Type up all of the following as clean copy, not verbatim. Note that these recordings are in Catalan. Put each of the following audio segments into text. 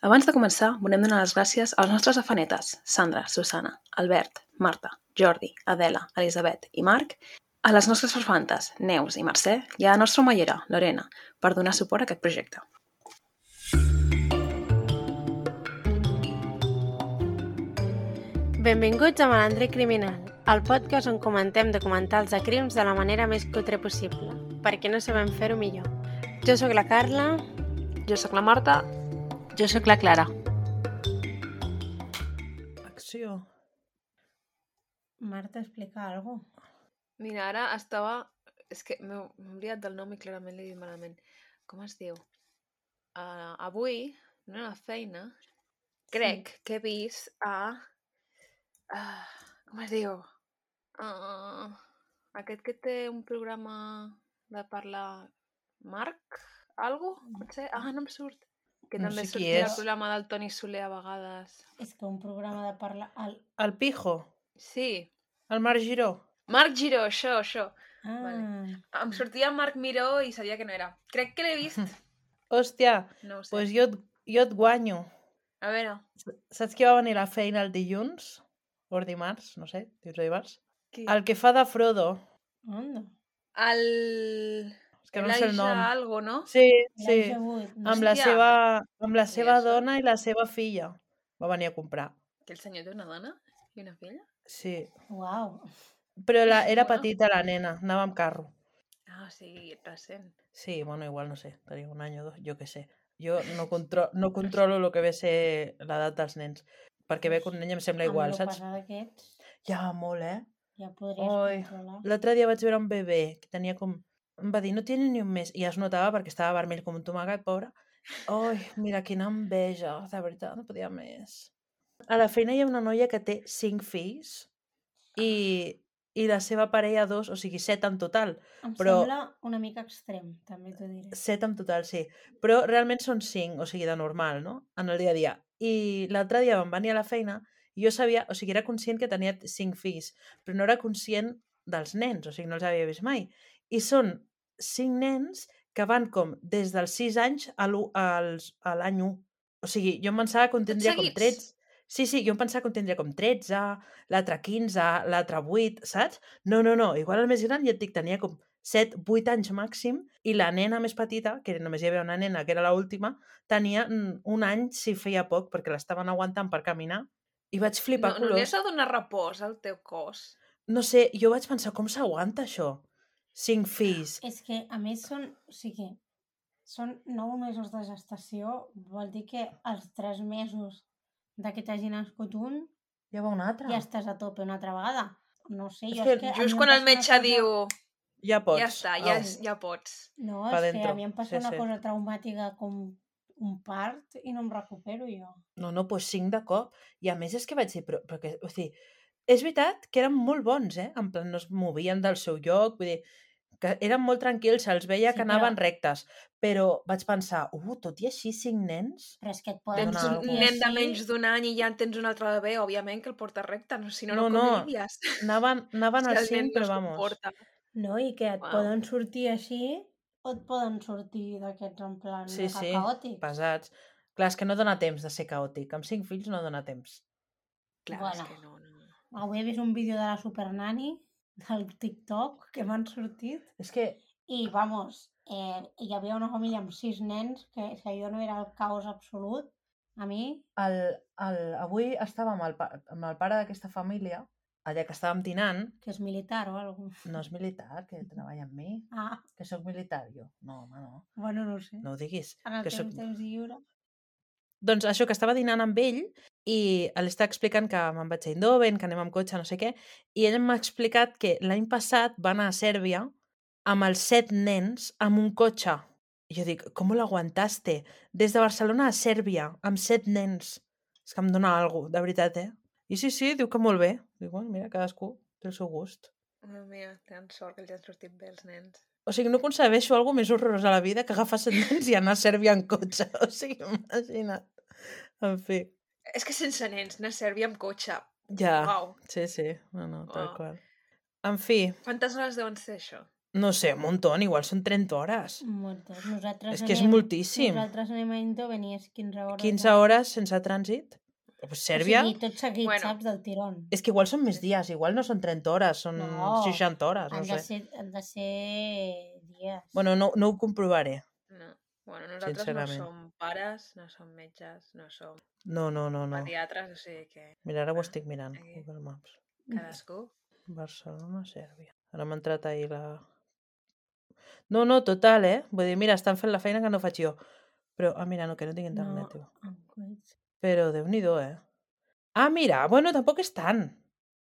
Abans de començar, volem donar les gràcies als nostres afanetes, Sandra, Susana, Albert, Marta, Jordi, Adela, Elisabet i Marc, a les nostres farfantes, Neus i Mercè, i a la nostra omellera, Lorena, per donar suport a aquest projecte. Benvinguts a Malandre Criminal, el podcast on comentem documentals de crims de la manera més cutre possible, perquè no sabem fer-ho millor. Jo sóc la Carla. Jo sóc la Marta. Jo sóc la Clara. Acció. Marta, explica alguna cosa. Mira, ara estava... És que m'he oblidat del nom i clarament l'he dit malament. Com es diu? Avui, no a la feina, crec que he vist a... com es diu? Aquest que té un programa de parlar... Marc? Algo? Potser? No em surt. Que No també sé qui sortia és. al programa del Toni Soler a vegades. És que un programa de parlar... El Pijo. Sí. El Marc Giró. Marc Giró, això. Vale. Em sortia Marc Miró i sabia que no era. Crec que l'he vist. Hòstia, No ho sé. pues jo et guanyo. A veure. Saps qui va venir a la feina el dilluns? O el dimarts, no sé, dilluns o dimarts? Qui? El que fa de Frodo. Onda? El... És que no sé el nom. Elijah algo, no? Sí. Elijah Wood, no? Amb la Hòstia. seva això? dona i la seva filla. Va venir a comprar. Que el senyor té una dona i una filla? Sí. Uau. Però era Bueno. petita la nena, anava amb carro. Sí, recent. Sí, bueno, igual no sé, tenia un any o dos, jo què sé. Jo no controlo el que ve ser l'edat dels nens, perquè ve que un nen em sembla igual, saps? Amb el passar d'aquests, Ja, molt, eh? ja podries controlar. L'altre dia vaig veure un bebè que tenia com... Em va dir, no tiene ni un mes. I ja es notava perquè estava vermell com un tomacat, pobre. Ai, mira, quina enveja, de veritat, no podia més. A la feina hi ha una noia que té 5 fills i la seva parella 2, o sigui 7 en total. Em Però sembla una mica extrem, també t'ho diré. 7 en total, sí. Però realment són 5, o sigui, de normal, no? En el dia a dia. I l'altre dia vam venir a la feina i jo sabia, o sigui, era conscient que tenia 5 fills, però no era conscient dels nens, o sigui, no els havia vist mai. I són 5 nens que van com des dels 6 anys a l'any 1. O sigui, jo em pensava que en tindria com seguits? 13. Sí, jo em pensava que en tindria com 13, l'altre 15, l'altre 8, saps? No, igual el més gran ja et dic, tenia com 7, 8 anys màxim, i la nena més petita, que només hi havia una nena, que era l'última, tenia un any si feia poc, perquè l'estaven aguantant per caminar, i vaig flipar No li colors. has de donar repòs al teu cos? No sé, jo vaig pensar, com s'aguanta això? 5 fills. És que, a més, són 9 mesos de gestació, vol dir que als 3 mesos de que t'hagi nascut un, Ja va un altre. ja estàs a tope una altra vegada. No sé, És jo que és que... a mi Just em quan passa el una metge cosa- diu... Ja pots. Ja està, ja pots. No, Pa és que dentro. a mi em passa Sí, una sí. cosa traumàtica com un part i no em recupero jo. No, doncs 5 de cop. I a més és que vaig dir, però que, o sigui, és veritat que eren molt bons, en plan no es movien del seu lloc, vull dir, que eren molt tranquils, se'ls veia Sí, que anaven rectes, però vaig pensar, tot i així 5 nens? Però és que et poden Tens donar un algú. nen de menys d'un any i ja en tens un altre bebè, òbviament que el porta recte, si no, no No. conviviries. Anaven Si als el nen 5, però no es vamos. comporta. No, i que et Uau. poden sortir així o et poden sortir d'aquests en plan Sí, mega caòtics. pesats. Clar, és que no dona temps de ser caòtic. Amb 5 fills no dona temps. Clar, Bueno. és que no. Avui he vist un vídeo de la Supernani del TikTok que m'han sortit És que i, vamos, hi havia una família amb 6 nens que si allò no era el caos absolut, a mi... avui estava amb el pare d'aquesta família, allà que estàvem dinant. Que és militar o alguna cosa. No és militar, que treballa amb mi. Que sóc militar, jo. No, home, no. Bueno, no ho sé. No ho diguis. En el que temps lliure. Doncs això, que estava dinant amb ell i li estava explicant que me'n vaig a Eindhoven, que anem amb cotxe, no sé què, i ell m'ha explicat que l'any passat va anar a Sèrbia amb els 7 nens amb un cotxe. I jo dic, com l'aguantaste? Des de Barcelona a Sèrbia, amb 7 nens. És que em dona alguna cosa, de veritat, I sí, diu que molt bé. Dic, bueno, mira, cadascú té el seu gust. Mira, tenen sort que els han sortit bé els nens. O sigui, no concebeixo alguna més horrorós a la vida que agafar 7 nens i anar a Sèrbia en cotxe. O sigui, imagina't. En fi. És que sense nens, anar a Sèrbia amb cotxe. Ja, Uau. sí. No, tal Uau. qual. En fi. Quantes hores deuen ser, això? No sé, un muntó, igual són 30 hores. Moltes. Nosaltres És que és moltíssim. Nosaltres anem a Eindhoven i és 15 hores. 15 hores sense trànsit. Pues Sèrbia... O sigui, tot seguit, Bueno. saps, del tirón. És que igual són més dies, igual no són 30 hores, són No. 60 hores, no sé. Han de ser dies. Bueno, no ho comprovaré. No. Bueno, nosaltres Sincerament. no som pares, no som metges, no som No. pediatres, o sigui que Mira, ara ho estic mirant, Aquí. Google Maps. cadascú... Barcelona, Sèrbia. Ara m'ha entrat ahir la... No, total, Vull dir, mira, estan fent la feina que no faig jo. Però, mira, no, que no tinc internet, tio. Però Déu-n'hi-do, Ah, mira, bueno, tampoc és tant.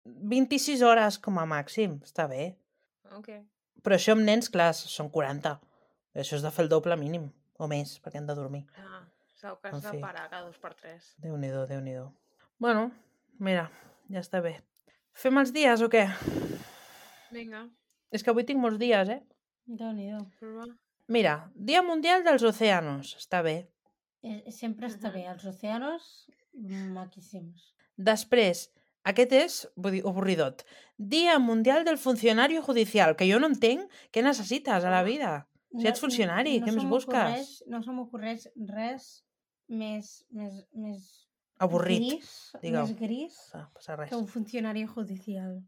26 hores com a màxim, està bé. Ok. Però això amb nens, clar, són 40. Això és de fer el doble mínim, o més, perquè han de dormir. Segur que En has de fi. parar cada 2x3. Déu-n'hi-do. Bueno, mira, ja està bé. Fem els dies o què? Vinga, És que avui tinc molts dies, Déu-n'hi-do. prova. Mira, Dia Mundial dels Océanos, està bé. Sempre està bé. Els océanos, maquíssims. Després, aquest és, vull dir, avorridot. Dia Mundial del Funcionario Judicial, que jo no entenc què necessites a la vida. Si ets funcionari, què més busques? No se m'ocorreix res més Avorrit, gris, digue'm. més gris Passa res. que un funcionari judicial.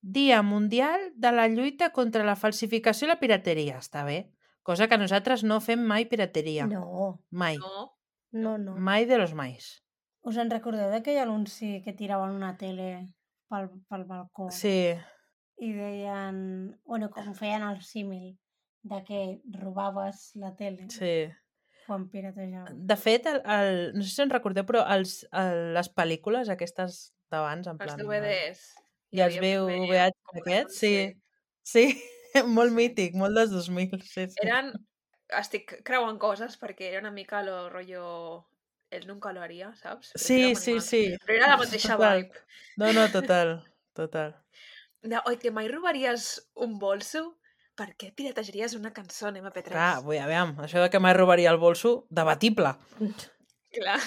Dia Mundial de la lluita contra la falsificació i la pirateria, està bé. Cosa que nosaltres no fem mai pirateria. No. Mai. No. Mai de los mais. Us en recordeu d'aquell anunci que tiraven una tele pel balcó? Sí, I deien... Bueno, com feien el símil de que robaves la tele sí. quan piratejaves. De fet, no sé si en recordeu, però les pel·lícules aquestes d'abans, en Els plan... DVDs. I els VHS aquests, sí, molt mític, molt dels 2000. Sí. Estic creuant coses perquè era una mica lo rotllo... Él nunca lo haría, saps? Sí. Però era la mateixa Total. vibe. No, total. Oi, que mai robaries un bolso? Per què piratejaries una cançó en MP3? Clar, aviam, això de que mai robaria el bolso, debatible. Clar.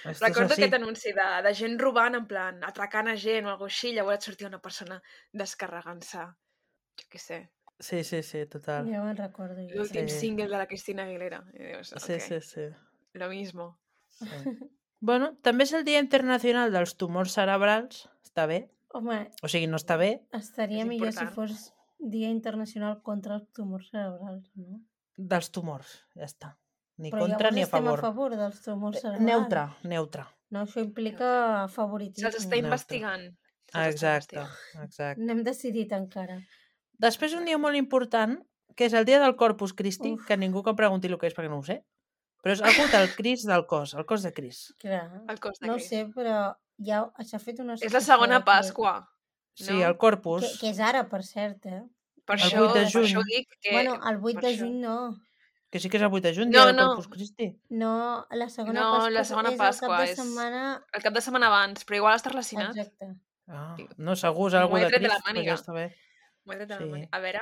Esto Recordo és així. aquest anunci de gent robant, en plan, atracant a gent o alguna cosa així, llavors et sortia una persona descarregant-se. Jo què sé. Sí, total. Ja me'n recordo. L'últim Sí. single de la Cristina Aguilera. I dius, ok, Sí. lo mismo. Sí. Bueno, també és el Dia Internacional dels Tumors Cerebrals. Està bé. Home, O sigui, no està bé. estaria És millor si important. fos Dia Internacional contra els tumors cerebrals, no? Dels tumors, ja està. Ni Però contra llavors ni a estem favor. a favor dels tumors cerebrals. Neutre. No, això implica Se'ls favoritisme. està investigant. Exacte. No hem decidit encara. Després un dia molt important, que és el dia del Corpus Christi, Uf. que ningú que em pregunti el que és perquè no ho sé, però és algú del Crist del cos, el cos de Crist. Clar. El cos de No ho Crist. sé, però ja s'ha fet una... És la segona Pasqua. Sí, No? el Corpus. Que és ara, per cert, Per El això, 8 de per juny. això ho dic que... Bueno, el 8 per de això. juny no. Que sí que és el 8 de juny, No, dia del no. Corpus Christi. No, la segona No, Pasqua la segona és Pasqua el cap de és- setmana... El cap de setmana abans, però igual està relacionat. Exacte. No, segur és algú M'ho he de tret de la Crist, però màniga. ja està bé. M'ho he tret de la Sí. màniga. A veure...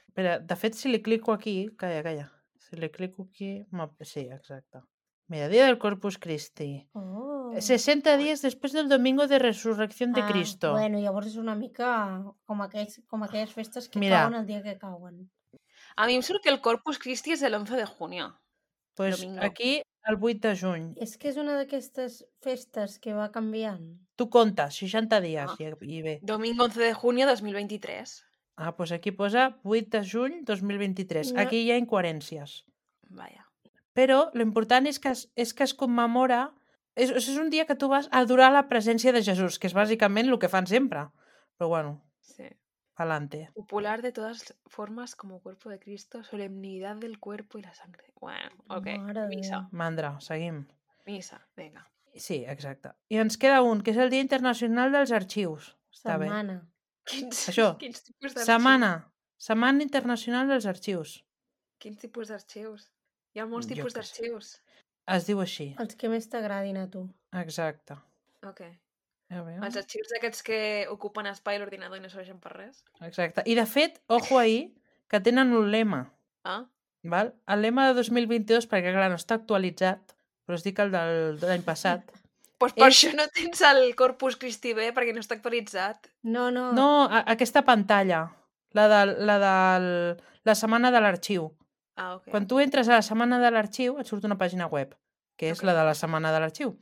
Espera, de fet, si li clico aquí... Calla. Si li clico aquí... Sí, exacte. Mira, dia del Corpus Christi. Oh. 60 días después del domingo de resurrección de Cristo. Bueno, llavors és una mica com aquelles festes que Mira. cauen el dia que cauen. A mi em surt que el Corpus Christi és el 11 de junio. Pues domingo. aquí el 8 de juny. És que és una d'aquestes festes que va canviant. Tu comptes, 60 dies Ah. i bé. Domingo 11 de junio 2023. Ah, pues aquí posa 8 de juny 2023. No. Aquí hi ha incoherències. Vaja. Però lo important és que es commemora... És un dia que tu vas a adorar la presència de Jesús, que és bàsicament el que fan sempre. Però bueno, Sí. pa'lante. Popular de todas formas como cuerpo de Cristo, solemnidad del cuerpo y la sangre. Bueno, ok. Mare de Misa. Mandra, seguim. Misa, vinga. Sí, exacte. I ens queda un, que és el Dia Internacional dels Arxius. Està bé. Setmana. Això, Quins tipus d'arxius? Setmana Internacional dels Arxius. Quins tipus d'arxius? Hi ha molts Jo tipus què sé. d'arxius. Es diu així. Els que més t'agradin a tu. Exacte. Ok. A veure. Els arxius d'aquests que ocupen espai a l'ordinador i no serveixen per res. Exacte. I de fet, ojo ahí, que tenen un lema. Ah, Val? El lema de 2022, perquè clar, no està actualitzat, però us dic el de l'any passat. doncs per És- això no tens el Corpus Christi bé, perquè no està actualitzat. No. No, aquesta pantalla. la setmana de l'arxiu. Ah, ok. Quan tu entres a la setmana de l'arxiu, et surt una pàgina web, que és Ok. la de la setmana de l'arxiu.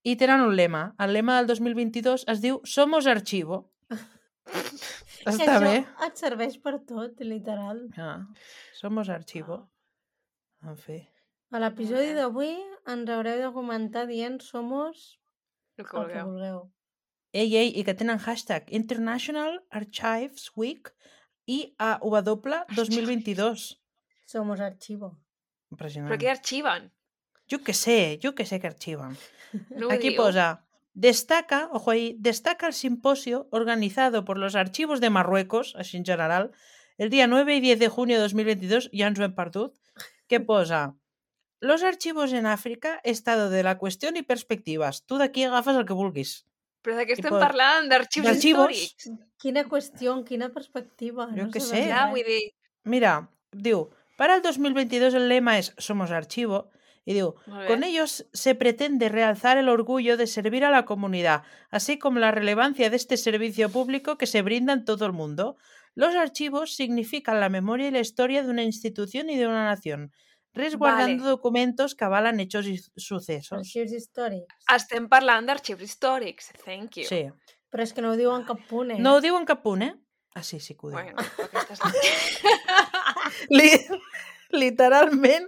I tenen un lema. El lema del 2022 es diu Somos Archivo. Està bé? Això et serveix per tot, literal. Somos Archivo. En fi. A l'episodi d'avui ens haureu de comentar dient somos El que el que vulgueu. vulgueu. Ei, i que tenen hashtag International Archives Week IAW 2022. Somos archivo. Impressionant. Però què arxiven? Jo que sé que archivan. No ho Aquí diu? posa, destaca el simposio organizado por los archivos de Marruecos, així en general, el día 9 y 10 de junio de 2022, ja ens ho hem perdut, que posa, los archivos en África, estado de la cuestión y perspectivas. Tu d'aquí agafes el que vulguis. Però de què estem Tipo, parlant? D'arxius d'arxivos. històrics? Quina qüestió, quina perspectiva. Jo no què sabem sé. Ja, res. vull dir... Mira, diu, para el 2022 el lema es Somos Archivo, y digo, Molt bé. con ellos se pretende realzar el orgullo de servir a la comunidad, así como la relevancia de este servicio público que se brinda en todo el mundo. Los archivos significan la memoria y la historia de una institución y de una nación, resguardando documentos que avalan hechos y sucesos. Arxius històrics. Estem parlant d'arxius històrics. Thank you. Sí. Però és que no ho diuen cap punt, eh? No ho diu en cap punt, eh? Ah, sí, sí que ho diu. Bueno, aquesta és... Literalment,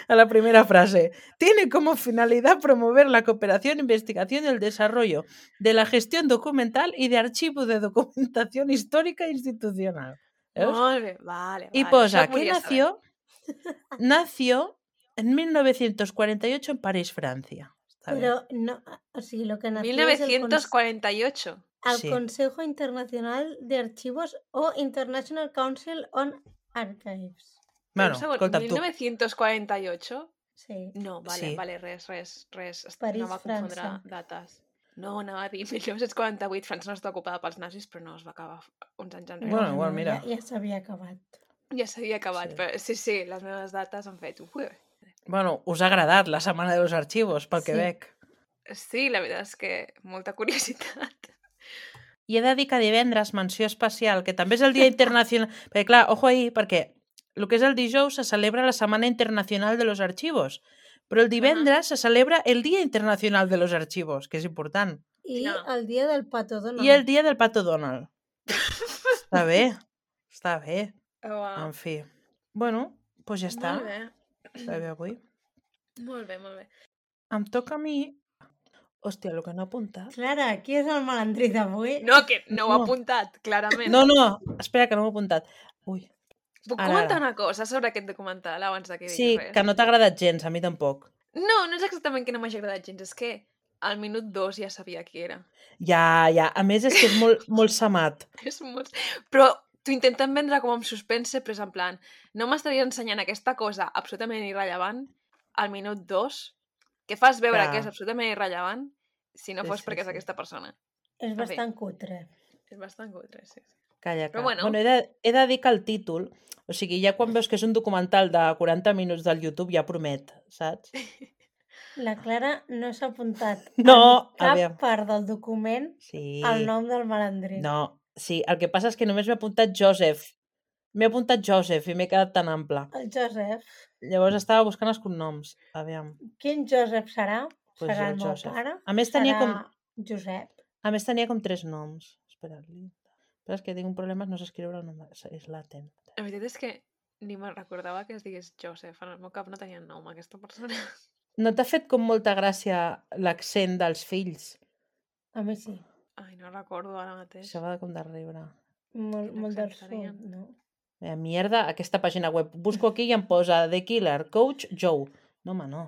a la primera frase. Tiene como finalidad promover la cooperación, investigación y el desarrollo de la gestión documental y de archivo de documentación histórica e institucional. ¿Veus? Molt bé, vale. Y vale. posa Això que volia saber. nació en 1948 en París, Francia. Està bé. Però, no, o sigui, lo que nació és el 1948. el Sí. Consejo Internacional de Archivos o International Council on Archives. Bueno, Un segon, escolta, tu. 1948? Sí. No, vale, Sí. vale, res. París, No va confondre França. dates. No, anava a dir 1948, França no està ocupada pels nazis, però no es va acabar uns anys enrere. Bueno, igual, mira. Ja s'havia acabat. Ja s'havia acabat, Sí. però sí, les meves dates han fet... Bueno, us ha agradat la setmana de los archivos, pel que Sí. veig. Sí, la veritat és que molta curiositat. I he de dir que divendres, menció especial, que també és el Dia Internacional... perquè, clar, ojo ahí, perquè el que és el dijous se celebra la Setmana Internacional de los Archivos, però el divendres se celebra el Dia Internacional de los Archivos, que és important. I Ja. el dia del Pato Donald. I el Dia del Pato Donald. Està bé, està bé. Wow. En fi. Bueno, doncs ja està. Molt bé. Està bé avui. Molt bé, molt bé. Em toca a mi... Hòstia, el que no he apuntat. Clara, qui és el malandrí d'avui? No, que no ho he No. apuntat, clarament. No, espera, que no ho he apuntat. Ui. Puc ara, comentar ara. una cosa sobre aquest documental abans de que digui Sí, res? que no t'ha agradat gens, a mi tampoc. No, no és exactament que no m'hagi agradat gens, és que al minut 2 ja sabia qui era. Ja. A més, és que és molt, molt samat. És molt... Però t'ho intenten vendre com amb suspense, però és en plan, no m'estaries ensenyant aquesta cosa absolutament irrellevant al minut 2, que fas veure Clar. que és absolutament irrellevant si no Sí, fos sí, perquè és sí. aquesta persona. És bé. bastant cutre. És bastant cutre, sí. Calla, Però calla. bueno. He de dir que el títol, o sigui, ja quan veus que és un documental de 40 minuts del YouTube ja promet, saps? La Clara no s'ha apuntat No, en cap aviam. part del document Sí. el nom del malandrí. No, sí, el que passa és que només m'he apuntat Joseph. M'he apuntat Joseph i m'he quedat tan ample. El Joseph. Llavors estava buscant els cognoms. Aviam. Quin Joseph serà? Pues Serà el el meu Joseph. pare? A més, tenia Serà Josep? A més, tenia com 3 noms. Espera, però és que tinc un problema, no sé escriure el nom. És latent. La veritat és que ni me'n recordava que es digués Joseph. En el meu cap no tenia nom, aquesta persona. No t'ha fet com molta gràcia l'accent dels fills? A mi sí. Ai, no recordo ara mateix. Això va com de riure. Molt del accent sud, tenien? no? Mierda, aquesta pàgina web. Busco aquí i em posa The Killer, Coach Joe. No, home, no.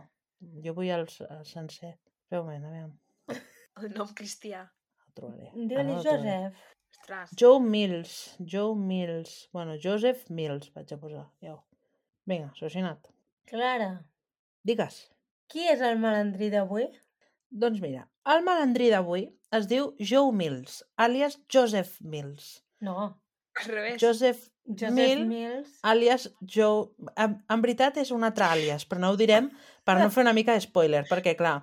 Jo vull el sencer. Espera un moment, aviam. El nom cristià. El trobaré. Digue-li no el trobaré. Joseph. Ostres. Joe Mills. Bueno, Joseph Mills vaig a posar. Ja. Vinga, solucionat. Clara, Digues. qui és el malandrí d'avui? Doncs mira, el malandrí d'avui es diu Joe Mills, àlies Joseph Mills. No, Al revés. Joseph Joseph Mills. àlies Joe... En veritat és un altre àlies, però no ho direm per no fer una mica de spoiler, perquè clar,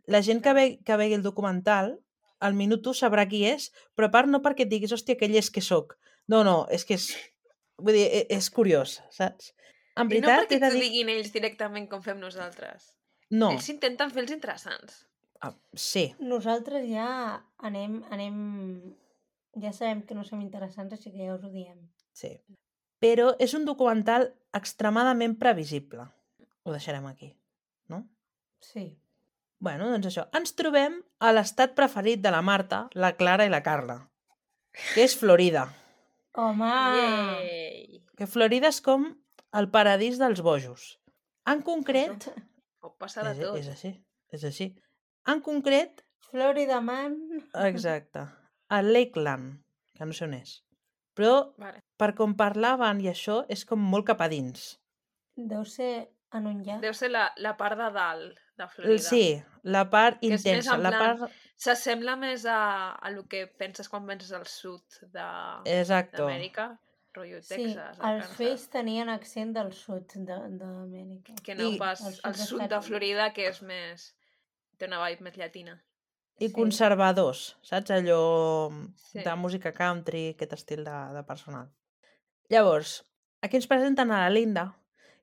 la gent que vegi el documental, al minut 1 sabrà qui és, però a part no perquè et diguis, hòstia, aquell és que sóc, No, és que és... Vull dir, és curiós, saps? En I no veritat, perquè he de t'ho dir... diguin ells directament com fem nosaltres. No, Ells intenten fer els interessants. sí, Nosaltres ja anem... Ja sabem que no som interessants, així que ja us ho diem. sí. Però és un documental extremadament previsible. Ho deixarem aquí, no? Sí. Bueno, doncs això. Ens trobem a l'estat preferit de la Marta, la Clara i la Carla, que és Florida. Home! Yay! Que Florida és com el paradís dels bojos. En concret... Pot passar de tot. És així, és així. En concret, Florida Man. exacte, a Lakeland, que no sé on és. Però, Vale. per com parlaven i això, és com molt cap a dins. Deu ser en un llac. Deu ser la part de dalt de Florida. Sí, la part Que és més intensa, en la plan- part... S'assembla més a lo que penses quan penses al sud Exacto. d'Amèrica, rotllo Sí, Texas, els Arkansas, Face tenien accent del sud d'Amèrica. que no I- pas al sud al dels sud de Estats Units. Florida, que és més... té una vibe més llatina. I Sí. conservadors, saps? Allò Sí. de música country, aquest estil de personal. Llavors, aquí ens presenten a la Linda,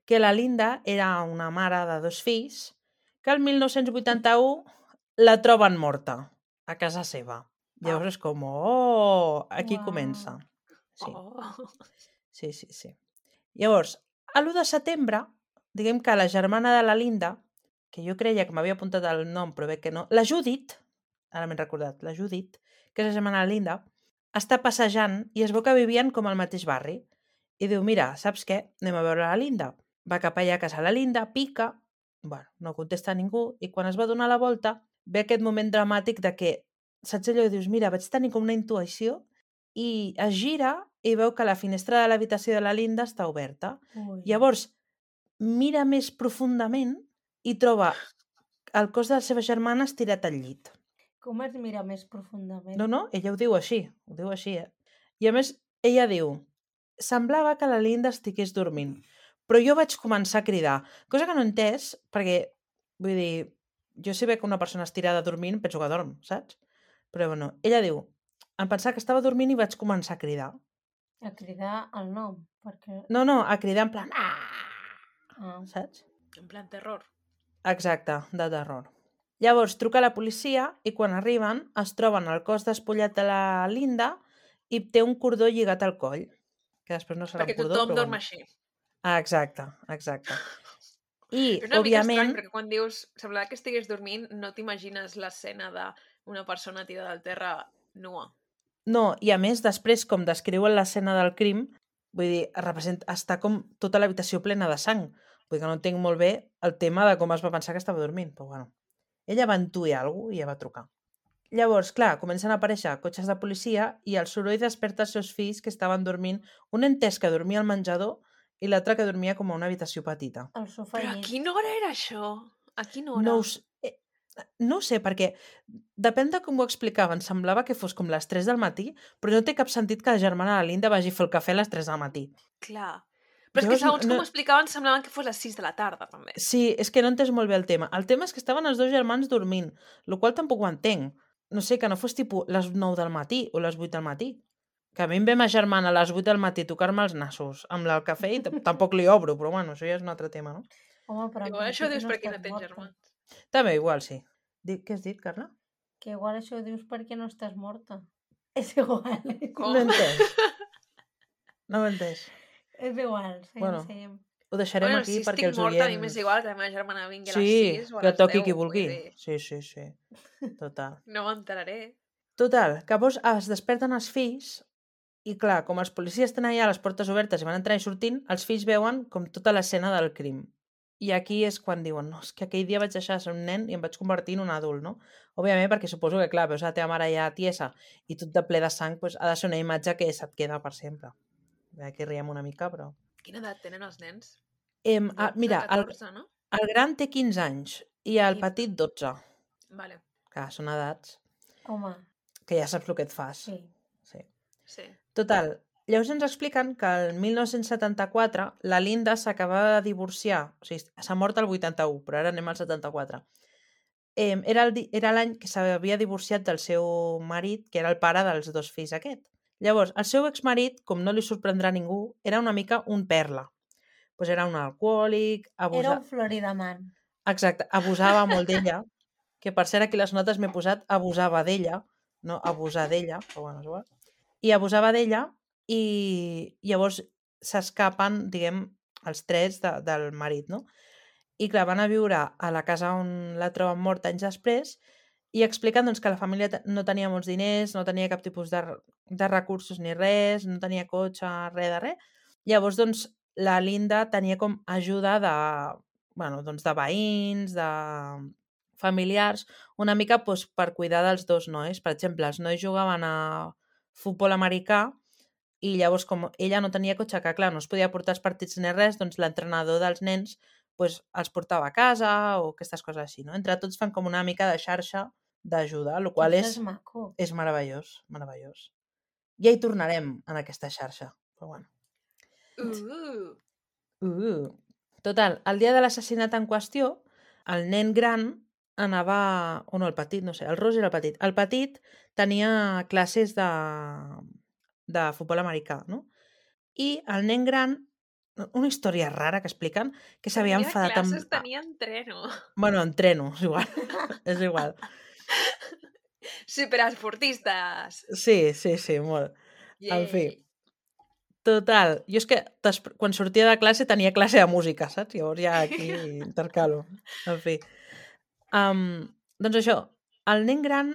que la Linda era una mare de 2 fills que el 1981 la troben morta a casa seva. Llavors és com, oh, aquí Uau. comença. Sí, Oh. sí. Llavors, a l'1 de setembre, diguem que la germana de la Linda, que jo creia que m'havia apuntat el nom, però veig que no, la Judit, ara m'he recordat, la Judit, que és la germana de la Linda, està passejant i es veu que vivien com al mateix barri. I diu, mira, saps què? Anem a veure la Linda. Va cap allà a casa la Linda, pica, bueno, no contesta a ningú, i quan es va donar la volta, ve aquest moment dramàtic de que, saps allò? Dius, mira, vaig tenir com una intuïció, i es gira i veu que la finestra de l'habitació de la Linda està oberta. Ui. Llavors, mira més profundament i troba el cos de la seva germana estirat al llit. Com es mira més profundament? No, ella ho diu així, I a més, ella diu, semblava que la Linda estigués dormint, però jo vaig començar a cridar, cosa que no he entès, perquè, vull dir, jo si veig una persona estirada dormint, penso que dorm, saps? Però bueno, ella diu, em pensava que estava dormint i vaig començar a cridar. A cridar el nom, perquè... No, a cridar en plan, Ah. saps? En plan terror. Exacte, de terror. Llavors truca a la policia i quan arriben es troben el cos despullat de la Linda i té un cordó lligat al coll. Que després no serà Perquè un cordó, tothom però dorm bueno. així. Ah, exacte. I, És una mica òbviament... estrany, perquè quan dius semblava que estigués dormint, no t'imagines l'escena d'una persona tirada al terra nua. No, i a més, després, com descriuen l'escena del crim, vull dir, està com tota l'habitació plena de sang. Vull dir que no entenc molt bé el tema de com es va pensar que estava dormint, però bueno. Ella va intuir alguna cosa i ja va trucar. Llavors, clar, comencen a aparèixer cotxes de policia i el soroll desperta els seus fills que estaven dormint, un entès que dormia al menjador i l'altre que dormia com a una habitació petita. El sofà Però a llit. quina hora era això? A quina hora? No ho sé, perquè depèn de com ho explicaven. Semblava que fos com les 3 del matí, però no té cap sentit que la germana de la Linda vagi a fer el cafè a les 3 del matí. Clar. Però és que segons com ho explicaven semblaven que fos les 6 de la tarda, també. Sí, és que no entès molt bé el tema. El tema és que estaven els 2 germans dormint, el qual tampoc ho entenc. No sé, que no fos tipus les 9 del matí o les 8 del matí. Que a mi em ve ma germana a les 8 del matí a tocar-me els nassos amb el cafè i tampoc li obro, però bueno, això ja és un altre tema, no? Home, però Igual això ho dius perquè no estàs tens morta. germans. També, igual sí. Què has dit, Carla? Que igual això ho dius perquè no estàs morta. És igual. Com? No he entès. No ho he entès. És igual, seguim, Bueno, seguim. Ho deixarem Bueno, aquí si perquè estic els morta, a oients... mi m'és igual que la meva germana vingui a les Sí, 6 o a que les toqui 10. qui vull vulgui. dir, Sí. Total. No m'enteraré. Total, que llavors es desperten els fills i clar, com els policies tenen allà les portes obertes i van entrant i sortint, els fills veuen com tota l'escena del crim. I aquí és quan diuen, no, és que aquell dia vaig deixar de ser un nen i em vaig convertir en un adult, no? Òbviament perquè suposo que, clar, veus la teva mare ja tiesa i tot de ple de sang, doncs ha de ser una imatge que se't queda per sempre. Aquí riem una mica, però... Quina edat tenen els nens? Mira, 14, no? el gran té 15 anys i el 15. petit 12. Vale, Clar, són edats Home, que ja saps el que et fas. sí. sí. Total, llavors ens expliquen que el 1974 la Linda s'acabava de divorciar, o sigui, s'ha mort el 81, però ara anem al 74. Era l'any que s'havia divorciat del seu marit, que era el pare dels 2 fills aquest. Llavors, el seu exmarit, com no li sorprendrà a ningú, era una mica un perla. Pues era un alcohòlic, Era un Floridaman. Exacte, abusava molt d'ella, que per cert aquí les notes m'he posat abusava d'ella, no abusar d'ella, però bueno, és igual. I abusava d'ella i llavors s'escapen, diguem, els tres del marit, no? I clar, van a viure a la casa on la troben morta anys després i expliquen doncs, que la família no tenia molts diners, no tenia cap tipus de recursos ni res, no tenia cotxe, res de res. Llavors, doncs, la Linda tenia com ajuda doncs, de veïns, de familiars, una mica doncs, per cuidar dels dos nois. Per exemple, els nois jugaven a futbol americà i llavors, com ella no tenia cotxe, que clar, no es podia portar els partits ni res, doncs l'entrenador dels nens doncs, els portava a casa o aquestes coses així, no? Entre tots fan com una mica de xarxa d'ajuda, el qual Això és maco. és meravellós, meravellós. Ja hi tornarem en aquesta xarxa, però bueno. Total, el dia de l'assassinat en qüestió, el nen gran anava... O no, el petit, no sé, el Ross era el petit. El petit tenia classes de futbol americà, no? I el nen gran, una història rara que expliquen, que s'havia enfadat amb... classes, tenia entreno. Bueno, entreno, és igual. És igual. Superesportistes. Sí, molt. En fi. Total, jo és que quan sortia de classe tenia classe de música, saps? Llavors ja aquí intercalo. En fi. Doncs això, el nen gran,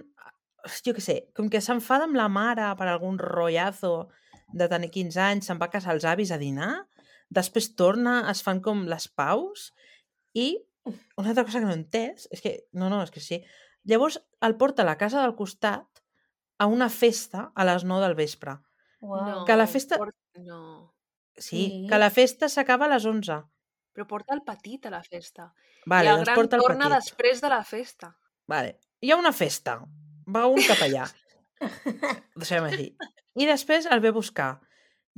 jo què sé, com que s'enfada amb la mare per algun rotllazo de tenir 15 anys, se'n va a casa als avis a dinar, després torna, es fan com les paus, i una altra cosa que no he entès, és que, és que sí, llavors el porta a la casa del costat a una festa a les 9 del vespre. Wow. No, Que la festa... No. Sí, que la festa s'acaba a les 11. Però porta el petit a la festa. Vale, I el doncs gran porta el torna petit. després de la festa. Vale. Hi ha una festa. Va un cap allà. Deixem així. I després el ve a buscar.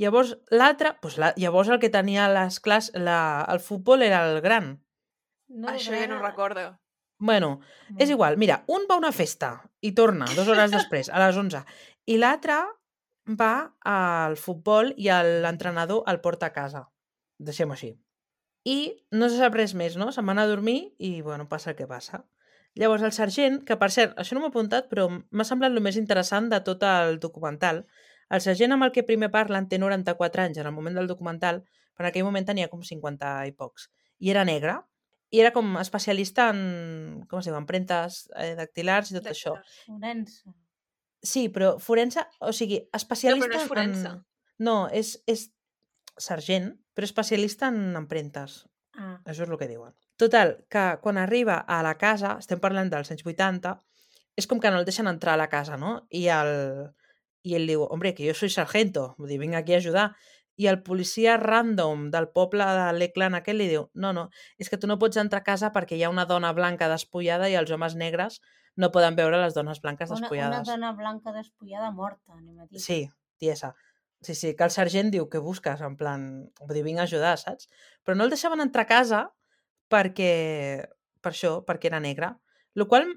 Llavors l'altre... llavors el que tenia les classes... El futbol era el gran. No, això ja no ho recordo. Bueno, és igual. Mira, un va a una festa i torna 2 hores després, a les 11. I l'altre va al futbol i l'entrenador el porta a casa. Deixem-ho així. I no se sap res més, no? Se'n van a dormir i, bueno, passa el que passa. Llavors el sergent, que per cert, això no m'ho he apuntat, però m'ha semblat el més interessant de tot el documental. El sergent amb el que primer parlen té 94 anys en el moment del documental, però en aquell moment tenia com 50 i pocs. I era negre, i era com especialista en, com es diu, empremtes dactilars i tot això. Forense. Sí, però forense, o sigui, especialista... No, però no és forense. No, és sergent, però especialista en empremtes. Això és el que diuen. Total, que quan arriba a la casa, estem parlant dels anys 80, és com que no el deixen entrar a la casa, no? I ell diu, hombre, que jo soy sargento, vull dir, vinc aquí a ajudar. I el policia random del poble de l'Eclan aquell li diu, no, és que tu no pots entrar a casa perquè hi ha una dona blanca despullada i els homes negres no poden veure les dones blanques despullades. Una dona blanca despullada morta, anem a dir. Sí, tiesa. Sí, que el sergent diu que busques, en plan, vull dir, vinc a ajudar, saps? Però no el deixaven entrar a casa per això, perquè era negre. El qual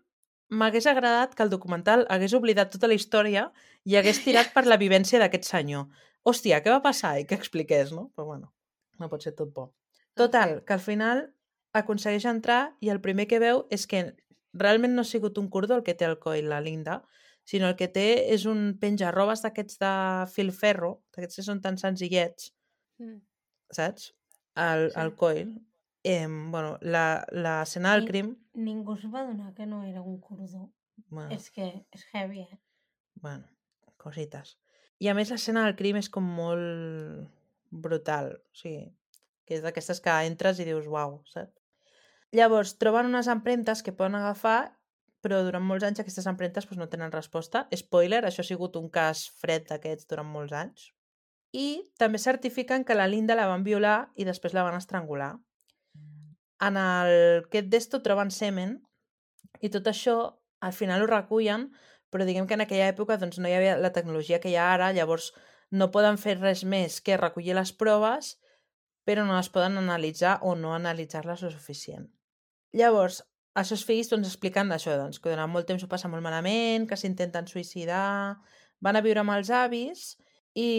m'hagués agradat que el documental hagués oblidat tota la història i hagués tirat per la vivència d'aquest senyor. Hòstia, què va passar? I que expliqués, no? Però bueno, no pot ser tot bo. Total, que al final aconsegueix entrar i el primer que veu és que realment no ha sigut un cordó el que té el coll la Linda, sinó el que té és un penjarrobes d'aquests de filferro, d'aquests que són tan senzillets, saps? El coll. Bueno, l'escena del crim... Ningú es va adonar que no era un cordó. Bueno, és que és heavy, Bueno, cosites. I a més l'escena del crim és com molt brutal, o sigui, que és d'aquestes que entres i dius, uau, saps? Llavors, troben unes empremtes que poden agafar, però durant molts anys aquestes empremtes no tenen resposta. Spoiler, això ha sigut un cas fred d'aquests durant molts anys. I també certifiquen que la Linda la van violar i després la van estrangular. En aquest d'esto troben semen i tot això al final ho recullen, però diguem que en aquella època doncs, no hi havia la tecnologia que hi ha ara, llavors no poden fer res més que recollir les proves, però no les poden analitzar o no analitzar-les lo suficient. Llavors, els seus fills expliquen això, que durant molt temps ho passa molt malament, que s'intenten suïcidar, van a viure amb els avis i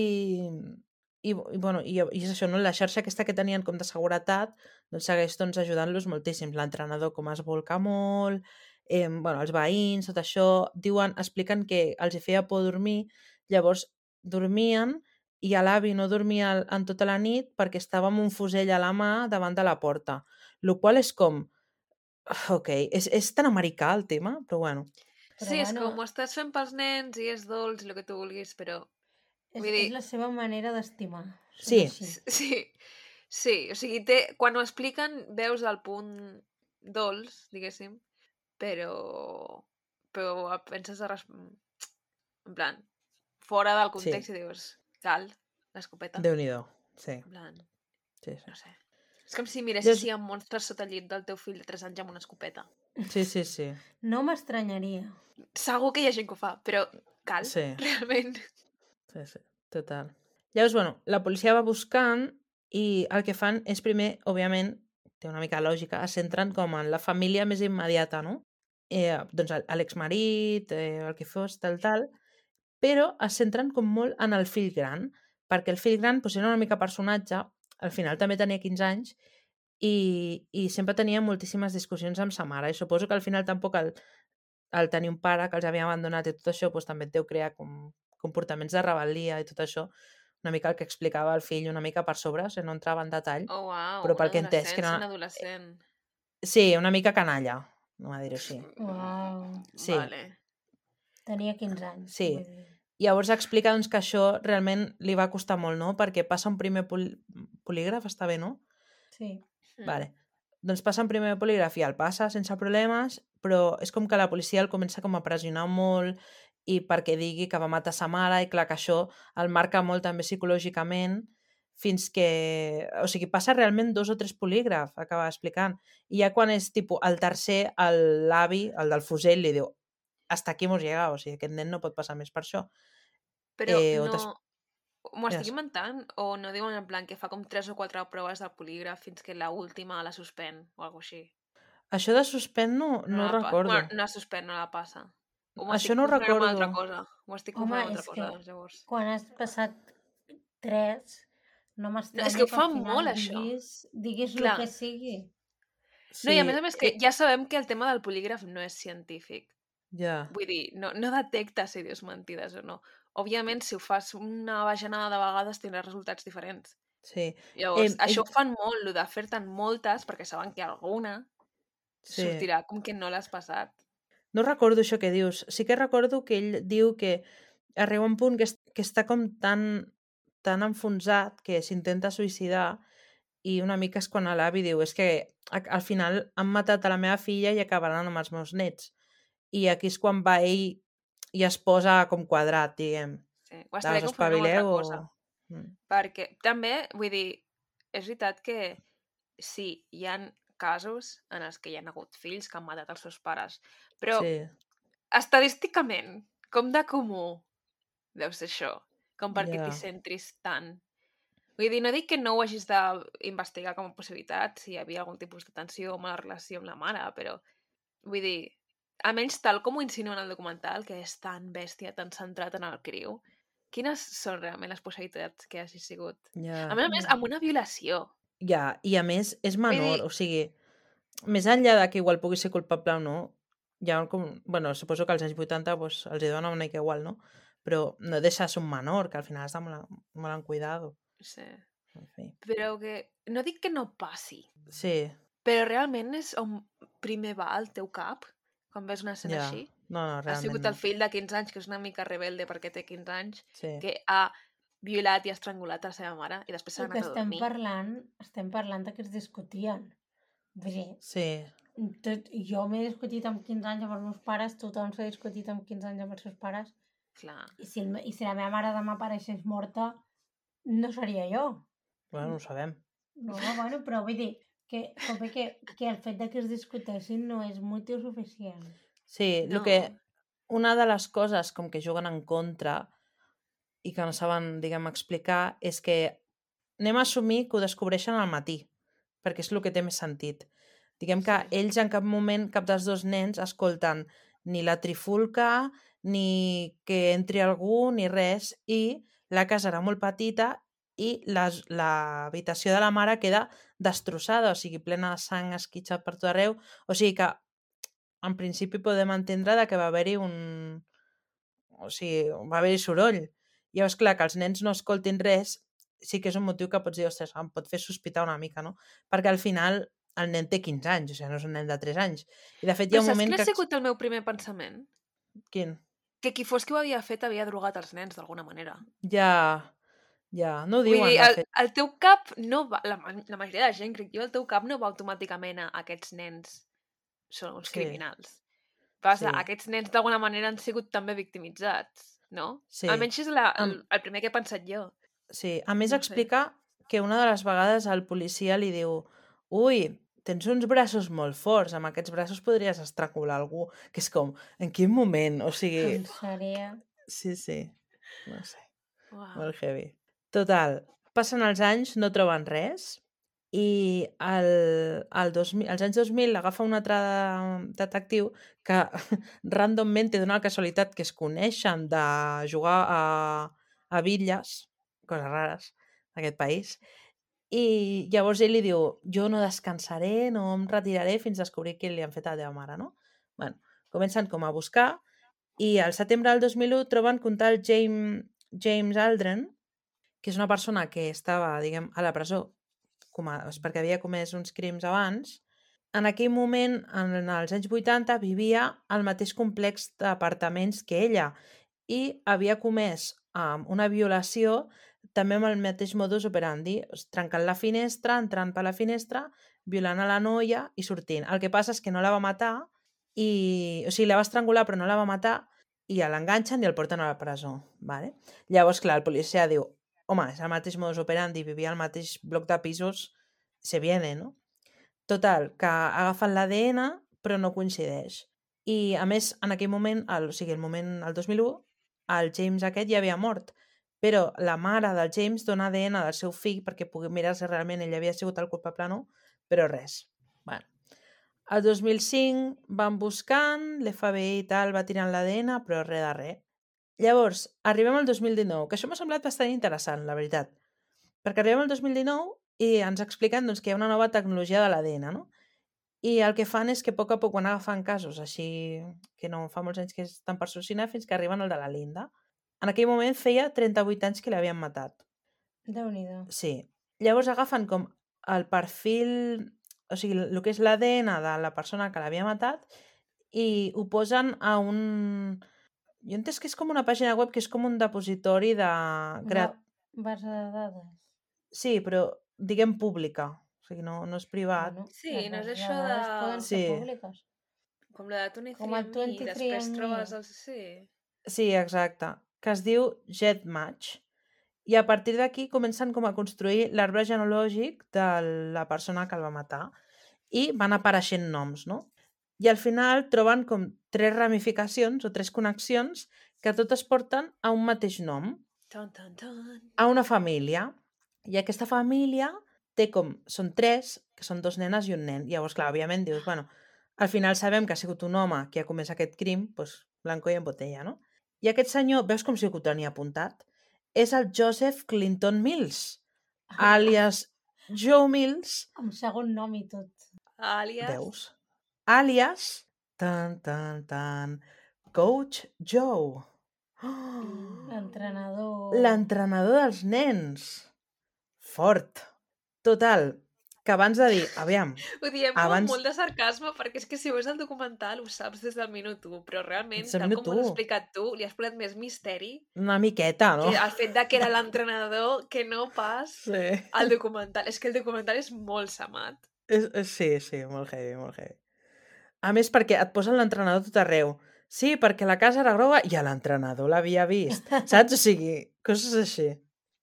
és això, no? La xarxa aquesta que tenien com de seguretat doncs segueix ajudant-los moltíssim. L'entrenador com es volca molt, els veïns, tot això, expliquen que els hi feia por dormir, llavors dormien i l'avi no dormia en tota la nit perquè estava amb un fusell a la mà davant de la porta. El qual és com... Ok, és tan americà el tema, però bueno. Però sí, és com ho estàs fent pels nens i és dolç i el que tu vulguis, però... És la seva manera d'estimar. Sí. Sí, o sigui, quan ho expliquen veus el punt dolç, diguéssim, però penses en plan, fora del context i dius, cal, l'escopeta. Déu-n'hi-do, sí. En plan, sí. No sé. És com si miressis si hi ha monstres sota el llit del teu fill de 3 anys amb una escopeta. Sí. No m'estranyaria. Segur que hi ha gent que ho fa, però cal, realment. Sí, total. Llavors, la policia va buscant i el que fan és primer, òbviament, té una mica lògica, es centren com en la família més immediata, no? Doncs l'exmarit, el que fos, tal, però es centren com molt en el fill gran, perquè el fill gran era una mica personatge, al final també tenia 15 anys i sempre tenia moltíssimes discussions amb sa mare i suposo que al final tampoc el tenir un pare que els havia abandonat i tot això també et deu crear com comportaments de rebel·lia i tot això, una mica el que explicava el fill una mica per sobre, o sigui, no entrava en detall, però pel que he entès que era... un adolescent. Sí, una mica canalla, no va dir-ho així. Uau. Sí. Vale. Tenia 15 anys. Sí. Llavors explica que això realment li va costar molt, no? Perquè passa un primer polígraf, està bé, no? Sí. Vale. Doncs passa un primer polígraf i el passa sense problemes, però és com que la policia el comença com a pressionar molt i perquè digui que va matar sa mare i clar que això el marca molt també psicològicament fins que... O sigui, passa realment 2 o 3 polígrafs, acaba explicant. I ja quan és tipus el tercer, l'avi, el del fusell, li diu hasta aquí hemos llegado, o sigui, aquest nen no pot passar més per això. Però no... M'ho estic inventant? O no diuen en plan que fa com 3 o 4 proves del polígraf fins que l'última la suspèn o alguna cosa així? Això de suspèn no recordo. Bueno, no la suspèn, no la passa. Això no ho recordo. Ho estic confonent amb altra cosa, llavors. Quan has passat 3, no m'estranya és que ho fa al final molt, això. Diguis el que sigui. Sí. No, i a més que ja sabem que el tema del polígraf no és científic. Ja. Vull dir, no detecta si dius mentides o no. Òbviament, si ho fas una bajanada de vegades, tindràs resultats diferents. Sí. Llavors, això ho fan molt, el de fer-te'n moltes, perquè saben que alguna sortirà com que no l'has passat. No recordo això que dius. Sí que recordo que ell diu que arriba un punt que està com tan enfonsat que s'intenta suïcidar i una mica és quan l'avi diu és que al final han matat a la meva filla i acabaran amb els meus nets. I aquí és quan va ell i es posa com quadrat, diguem. Sí, ho estaré confonant amb altra cosa. Perquè també, vull dir, és veritat que sí, hi ha casos en els que hi ha hagut fills que han matat els seus pares, però estadísticament, com de comú deu ser això? Com perquè t'hi centris tant? Vull dir, no dic que no ho hagis d'investigar com a possibilitat, si hi havia algun tipus de tensió o mala relació amb la mare, però vull dir, almenys tal com ho insinuen al documental, que és tan bèstia, tan centrat en el criu, quines són realment les possibilitats que hagi sigut? A més, amb una violació. Ja, i a més és menor, o sigui, més enllà de que igual pugui ser culpable o no, ja suposo que als anys 80 els hi dona una mica igual, no? Però no deixa de ser un menor, que al final està molt en cuidado. Sí. Però que... No dic que no passi. Sí. Però realment és on primer va al teu cap quan ves una escena així? No, realment ha sigut el fill de 15 anys, que és una mica rebelde perquè té 15 anys, sí. que ha violat i estrangulat a la seva mare i després s'ha anat a dormir. Estem parlant de que es discutien. Vull dir, sí. Jo m'he discutit amb 15 anys amb els meus pares, tothom s'ha discutit amb 15 anys amb els seus pares. Clar. I si la meva mare demà apareixés morta, no seria jo. Bueno, no ho sabem. No, bueno, però vull dir que el fet de que es discuteixin no és motiu suficient. Sí, no. Una de les coses com que juguen en contra i que no saben, diguem, explicar és que anem a assumir que ho descobreixen al matí, perquè és el que té més sentit. Diguem que ells en cap moment, cap dels dos nens, escolten ni la trifulca, ni que entri algú, ni res, i la casa era molt petita i l'habitació de la mare queda destrossada, o sigui, plena de sang esquitxat per tot arreu, o sigui que en principi podem entendre que va haver-hi o sigui, va haver-hi soroll. Llavors, clar, que els nens no escoltin res sí que és un motiu que pots dir, ostres, em pot fer sospitar una mica, no? Perquè al final el nen té 15 anys, o sigui, no és un nen de 3 anys. I de fet hi ha Però un saps moment quin ha que... sigut el meu primer pensament? Quin? Que qui fos qui ho havia fet havia drogat els nens d'alguna manera. Ja, no ho Vull diuen, dir, de fet. el teu cap no va... La majoria de gent, crec jo, el teu cap no va automàticament a aquests nens són uns Sí. criminals. Vas Sí. aquests nens d'alguna manera han sigut també victimitzats, no? Sí. Almenys és el primer que he pensat jo. Sí, a més No sé. explica que una de les vegades el policia li diu ui, tens uns braços molt forts, amb aquests braços podries estrangular algú, que és com, en quin moment? O sigui... En sèrio? Sí, no sé, Uau. molt heavy. Total, passen els anys, no troben res, i als anys 2000 agafa un altre detectiu que randomment té una casualitat que es coneixen de jugar a bitlles, coses rares d'aquest país, i llavors ell li diu, jo no descansaré, no em retiraré fins a descobrir què li han fet a la teva mare, no? Bueno, comencen com a buscar i al setembre del 2001 troben que un tal James Aldren, que és una persona que estava, diguem, a la presó perquè havia comès uns crims abans, en aquell moment, en els anys 80, vivia al mateix complex d'apartaments que ella i havia comès una violació també amb el mateix modus operandi, trencant la finestra, entrant per la finestra, violant a la noia i sortint. El que passa és que no la va matar, o sigui, la va estrangular però no la va matar i l'enganxen i el porten a la presó. Vale? Llavors, clar, el policia diu home, és el mateix modus operandi, vivia al mateix bloc de pisos, se viene, no? Total, que agafen l'ADN però no coincideix. I a més, en aquell moment, el 2001, el James aquest ja havia mort, però la mare del James dona ADN del seu fill perquè pugui mirar si realment ell havia sigut el culpable o no, però res. Bueno. El 2005 van buscant, l'FBI i tal va tirant l'ADN, però res de res. Llavors, arribem al 2019, que això m'ha semblat bastant interessant, la veritat. Perquè arribem al 2019 i ens expliquen doncs, que hi ha una nova tecnologia de l'ADN, no? I el que fan és que a poc van agafant casos així que no fa molts anys que estan per solucionar fins que arriben al de la Linda. En aquell moment feia 38 anys que l'havien matat. Déu-n'hi-do. Sí. Llavors agafen com el perfil, o sigui, el que és l'ADN de la persona que l'havia matat i ho posen a un... Jo he entès que és com una pàgina web que és com un depositori de... Base de dades. Sí, però diguem pública. O sigui, no és privat. Bueno, Sí, les no és bases això de dades de- poden ser Sí. públiques. Com la de 23 Com el 23andMe. després trobes els... Sí. Sí, exacte. Que es diu GEDmatch. I a partir d'aquí comencen com a construir l'arbre genealògic de la persona que el va matar. I van apareixent noms, no? I al final troben com 3 ramificacions o 3 connexions que totes porten a un mateix nom, Tan, tan, tan. a una família. I aquesta família té com... Són 3, que són 2 nenes i un nen. Llavors, clar, òbviament dius, bueno, al final sabem que ha sigut un home que ha comès aquest crim, doncs blanco i en botella, no? I aquest senyor, veus com si ho tenia apuntat? És el Joseph Clinton Mills, àlies Joe Mills, Amb segon nom i tot. Àlies... veus? Àlies, Coach Joe. Oh, L'entrenador... l'entrenador dels nens. Fort. Total, que abans de dir, aviam, Ho diem abans- amb molt de sarcasme perquè és que si veus el documental ho saps des del minut 1, però realment, Des del tal minut com ho has 1. explicat tu, li has posat més misteri una miqueta, no? que el fet de que era l'entrenador que no pas Sí. el documental. És que el documental és molt samat. Sí, molt heavy, molt heavy. A més, perquè et posen l'entrenador tot arreu. Sí, perquè la casa era groga i l'entrenador l'havia vist. Saps? O sigui, coses així.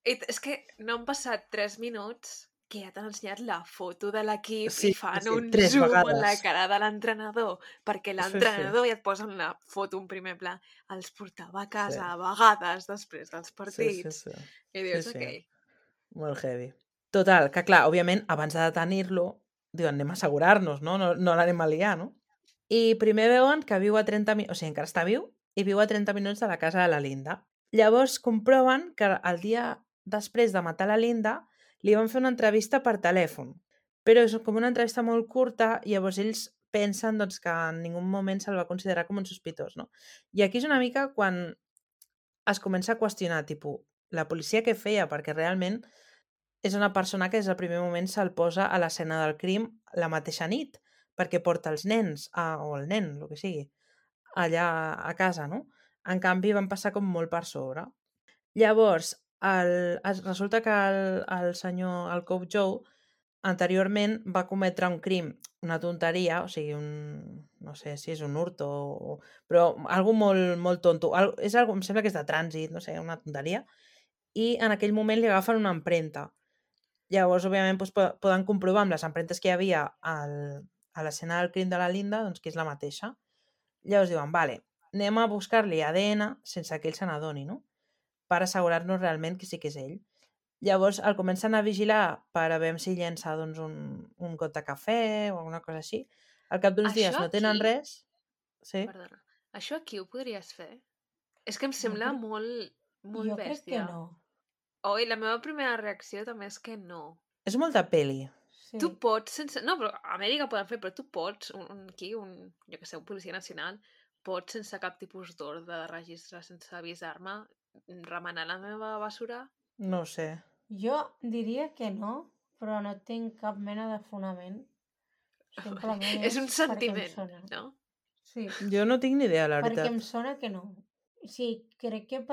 I és que no han passat 3 minuts que ja t'han ensenyat la foto de l'equip Sí, i fan sí, un 3 zoom en la vegades. cara de l'entrenador, perquè l'entrenador ja et posen la foto en primer pla. Els portava a casa a vegades després dels partits. Sí. I dius, Sí. ok. Molt heavy. Total, que clar, òbviament, abans de detenir-lo, diuen, anem a assegurar-nos, no? No l'anem a liar, no? I primer veuen que viu a 30 minuts, o sigui, encara està viu, i viu a 30 minuts de la casa de la Linda. Llavors comproven que el dia després de matar la Linda li van fer una entrevista per telèfon, però és com una entrevista molt curta i llavors ells pensen doncs, que en ningú moment se'l va considerar com un sospitós. No? I aquí és una mica quan es comença a qüestionar, tipus, la policia què feia? Perquè realment és una persona que des del primer moment se'l posa a l'escena del crim la mateixa nit, perquè porta els nens, o el nen, el que sigui, allà a casa, no? En canvi, van passar com molt per sobre. Llavors, resulta que el senyor, el Cop Joe, anteriorment va cometre un crim, una tonteria, o sigui, no sé si és un hurto, però algo molt, molt tonto. És algo, em sembla que és de trànsit, no sé, una tonteria, i en aquell moment li agafen una empremta. Llavors, òbviament, doncs, poden comprovar amb les empremtes que hi havia a l'escena del crim de la Linda doncs, que és la mateixa. Llavors diuen, vale, anem a buscar-li ADN sense que ell se n'adoni, no? Per assegurar-nos realment que sí que és ell. Llavors el comencen a vigilar per a veure si llença doncs, un got de cafè o alguna cosa així. Al cap d'uns dies no tenen res. Sí. Perdona, això aquí ho podries fer? És que em sembla molt Jo crec que bèstia. no. I la meva primera reacció també és que no. És molta peli. Sí. Tu pots sense... No, però a Amèrica poden fer, però tu pots, jo que sé, un policia nacional, pots sense cap tipus d'ordre de registre, sense avisar-me, remenar la meva basura? No sé. Jo diria que no, però no tinc cap mena de fonament. Simplement És un sentiment, perquè em sona. no? Sí, Jo no tinc ni idea, la perquè veritat. em sona que no. Sí, crec que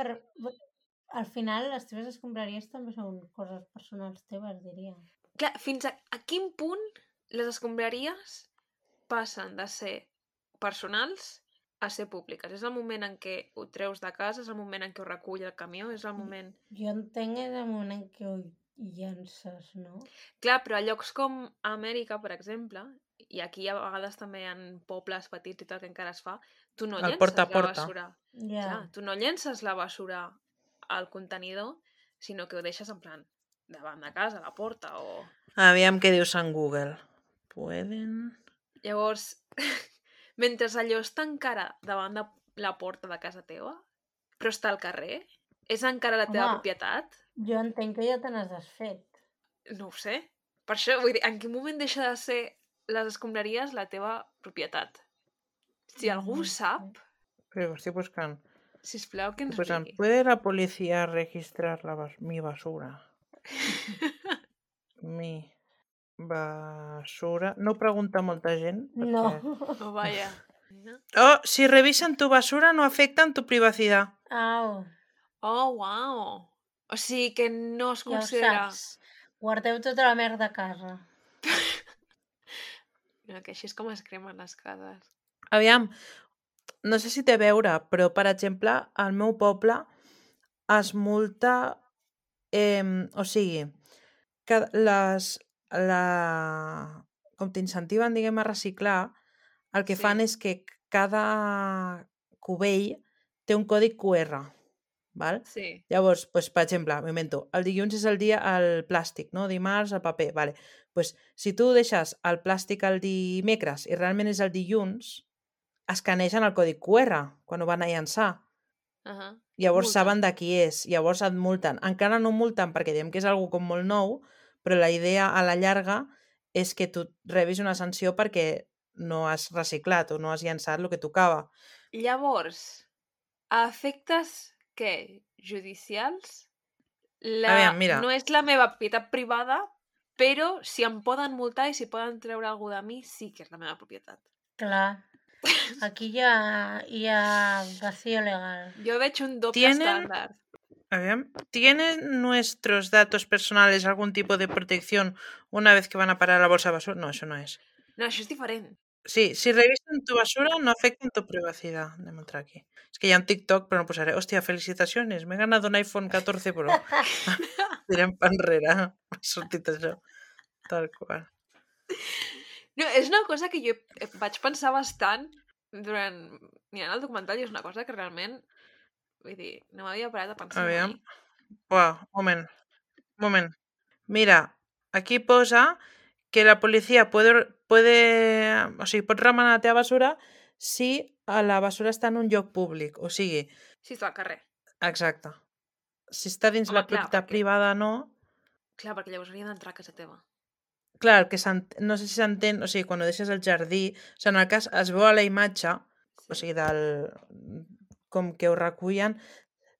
al final les teves escombraries també són coses personals teves, diria. Clar, fins a quin punt les escombraries passen de ser personals a ser públiques? És el moment en què ho treus de casa, és el moment en què ho recull el camió, és el moment... Jo entenc és el moment en què ho llences, no? Clar, però a llocs com a Amèrica, per exemple, i aquí a vegades també en pobles petits i tal que encara es fa, tu no El llences porta a la porta. basura. Ja. Clar, tu no llences la basura al contenidor, sinó que ho deixes en plan davant de casa, a la porta o... Aviam què dius en Google. Pueden... Llavors, mentre allò està encara davant de la porta de casa teva, però està al carrer, és encara la teva propietat? Jo entenc que ja te n'has desfet. No ho sé. Per això, vull dir, en quin moment deixa de ser les escombraries la teva propietat? Si algú sap, Però estic buscant. sisplau que ens Pues, digui. ¿puede la policía registrar mi basura? Mi basura... No ho pregunta molta gent. Perquè... No. Oh, vaya. No? Oh, si revisan tu basura no afectan tu privacidad. Au, Oh, wow. O sigui que no es ja ho considera... saps. Guardeu tota la merda a casa. No, que així és com es cremen les cases. Aviam, no sé si té a veure, però, per exemple, al meu poble es multa... o sigui, que com t'incentiven, diguem, a reciclar, el que Sí. fan és que cada cubell té un còdig QR, val? Sí. Llavors, pues, per exemple, m'invento, el dilluns és el dia el plàstic, no? Dimarts el paper, vale. Pues, si tu deixes el plàstic el dimecres i realment és el dilluns, escanegen el codi QR quan ho van a llançar. Llavors saben de qui és, llavors et multen. Encara no multen perquè diem que és algo com molt nou, però la idea a la llarga és que tu rebis una sanció perquè no has reciclat o no has llançat el que tocava. Llavors, a efectes, què? Judicials? Aviam, mira. No és la meva propietat privada, però si em poden multar i si poden treure alguna de mi, sí que és la meva propietat. Clar. Aquí hi ha vacío legal. Jo veig un doble estàndard. ¿Tienen nuestros datos personales algún tipo de protección una vez que van a parar a la bolsa de basura? No, eso no es. No, això és diferent. Sí, si revisan tu basura no afectan tu privacidad. Anem a entrar aquí. Es que hi ha un TikTok, però no posaré. Hòstia, felicitaciones, m'he ganat un iPhone 14 Pro. Tirem pa enrere. M'ha sortit això. Tal qual. No, és una cosa que jo vaig pensar bastant durant... mirant el documental i és una cosa que realment... Vull dir, no m'havia parat a pensar mai. Uau, moment. Mira, aquí posa que la policía puede, o sigui, pot remenar la teva basura si la bessura està en un lloc públic. O sigui, Sí, està al carrer. exacte. Si està dins Home, la clar, propietat perquè- privada, no. Clar, perquè llavors hauria d'entrar a casa teva. Clar, el que no sé si s'entén, o sigui, quan ho deixes al jardí, o sigui, en el cas es veu a la imatge, o sigui, com que ho recullen,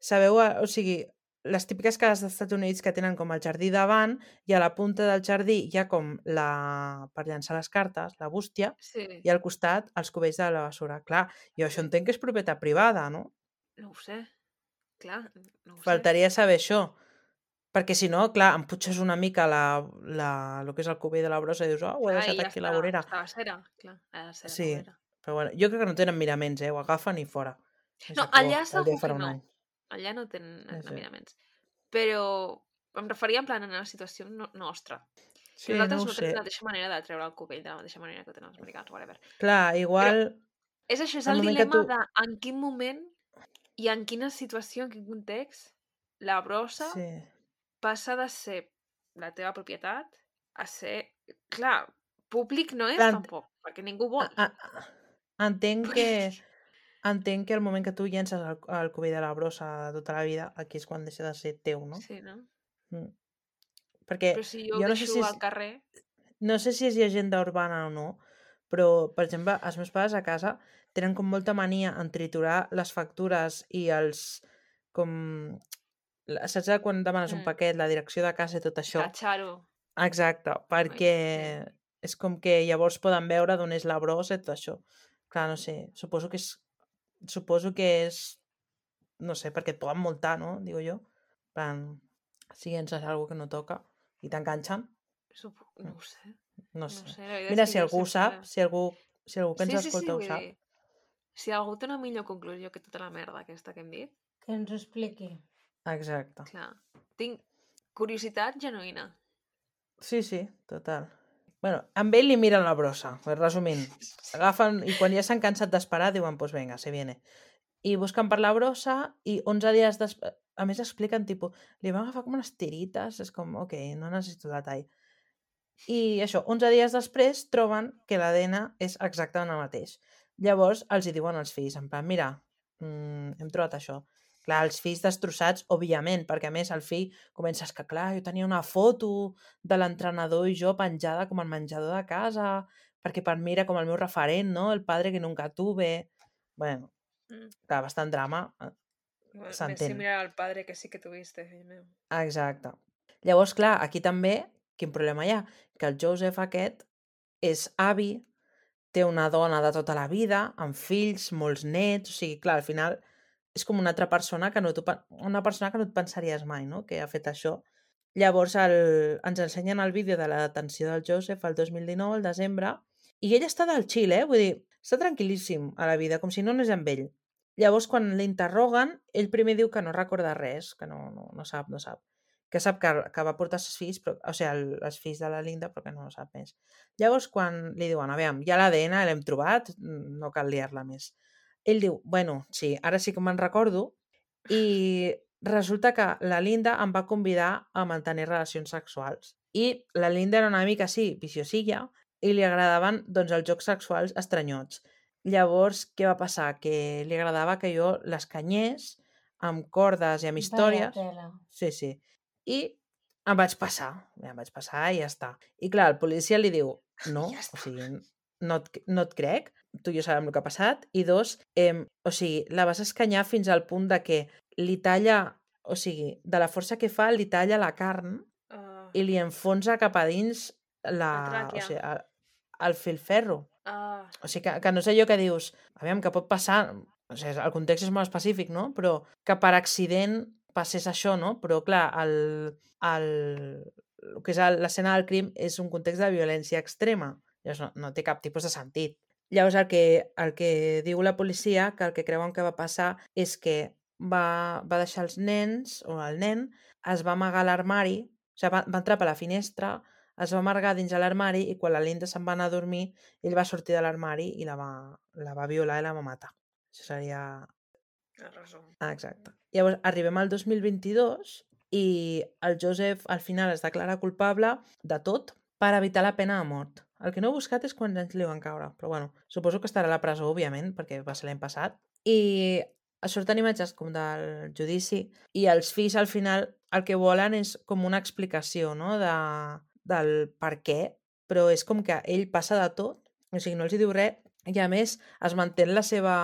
sabeu, o sigui, les típiques cases dels Estats Units que tenen com el jardí davant i a la punta del jardí hi ha com per llançar les cartes, la bústia, Sí, i al costat els cubells de la bessura. Clar, jo això entenc que és propietat privada, no? no ho sé. Clar, no ho sé. Faltaria saber això. Perquè si no, clar, em putxes una mica el que és el cubell de la brossa i dius, oh, ho he Clar, deixat i ja aquí a la vorera. està a cera. Clar, ha de ser a la Sí, vorera. però bueno, jo crec que no tenen miraments, ho agafen i fora. I No, s'acabó. allà El segur dia que farà un no. any. Allà no tenen Sí. miraments. Però em referia en plan a la situació nostra. Sí, Nosaltres no ho no sé. tenim la mateixa manera de treure el cubell de la mateixa manera que ho tenen els americans, whatever. Clar, igual... És això, és el el moment que dilema tu- de en quin moment i en quina situació, en quin context, la brossa Sí. passa de ser la teva propietat a ser... Clar, públic no és Clar, tampoc, perquè ningú vol. entenc que el moment que tu llences el cubell de la brossa tota la vida, aquí és quan deixa de ser teu, no? Sí, no? Mm. Perquè Però si jo ho jo no sé deixo si al carrer... no sé si és llegenda urbana o no, però, per exemple, els meus pares a casa tenen com molta mania en triturar les factures i els... com... Saps quan demanes un paquet, la direcció de casa i tot això? Catxar-ho. Exacte, perquè és com que llavors poden veure d'on és la brossa i tot això. Clar, no sé, suposo que és, no sé, perquè et poden multar, no? Digo jo. En plan, si llences alguna que no toca i t'enganxen, No ho sé. no No sé. sé, la veritat Mira, és si que jo algú sempre... sap, si algú que ens escolta ho vull sap. dir, si algú té una millor conclusió que tota la merda aquesta que hem dit, Que ens ho expliqui. Exacte. clar, tinc curiositat genuïna. Sí, total. Bueno, amb ell li miren la brossa, resumint. Agafen, i quan ja s'han cansat d'esperar, diuen, pues venga, se viene. I busquen per la brossa i 11 dies després... A més expliquen, tipus, li van agafar com unes tirites, és com, ok, no necessito detall. I això, 11 dies després troben que l'ADN és exactament el mateix. Llavors els hi diuen als fills, en plan, mira, hem trobat això. Clar, els fills destrossats, òbviament, perquè a més el fill comença a que, clar, jo tenia una foto de l'entrenador i jo penjada com al menjador de casa, perquè per mi era com el meu referent, no? El padre que nunca tuve. Bueno, clar, bastant drama. Me S'entén. similar al padre que sí que tuviste, fill meu. Exacte. Llavors, clar, aquí també, quin problema hi ha? Que el Joseph aquest és avi, té una dona de tota la vida, amb fills, molts nets, o sigui, clar, al final és com una altra persona que una persona que no et pensaries mai, no?, que ha fet això. Llavors ens ensenyen el vídeo de la detenció del Joseph el 2019, al desembre, i ell està del chill, vull dir, està tranquil·líssim a la vida, com si no anés amb ell. Llavors, quan l'interroguen, ell primer diu que no recorda res, que no sap. Que sap que va portar els fills, però, o sigui, els fills de la Linda, però que no sap més. Llavors, quan li diuen, a veure, ja l'ADN l'hem trobat, no cal liar-la més. Ell diu, bueno, sí, ara sí que me'n recordo, i resulta que la Linda em va convidar a mantenir relacions sexuals. I la Linda era una mica, sí, viciosilla, i li agradaven, doncs, els jocs sexuals estranyots. Llavors, què va passar? Que li agradava que jo l'escanyés amb cordes i amb històries. Vaya tela. Sí. I em vaig passar i ja està. I clar, el policia li diu, no, Ja està. o sigui, no et crec, tu i jo sabem el que ha passat, i dos, o sigui, la vas escanyar fins al punt de que li talla, o sigui, de la força que fa, li talla la carn i li enfonsa cap a dins La tràquea. o sigui, el filferro. O sigui, que no sé allò que dius, aviam, que pot passar, o sigui, el context és molt específic, no? Però que per accident passés això, no? Però, clar, el que és l'escena del crim és un context de violència extrema. Llavors no té cap tipus de sentit. Llavors el que diu la policia, que el que creuen que va passar és que va deixar els nens, o el nen, es va amagar a l'armari, o sigui, va entrar per la finestra, es va amargar dins de l'armari i quan la Linda se'n va anar a dormir, ell va sortir de l'armari i la va violar i la va matar. Això seria... El resum. Exacte. Llavors, arribem al 2022 i el Joseph al final es declara culpable de tot per evitar la pena de mort. El que no he buscat és quants anys li van caure, però bueno, suposo que estarà a la presó, òbviament, perquè va ser l'any passat. I surten imatges com del judici i els fills al final el que volen és com una explicació, no?, del per què, però és com que ell passa de tot, o sigui, no els hi diu res, i a més es manté en la seva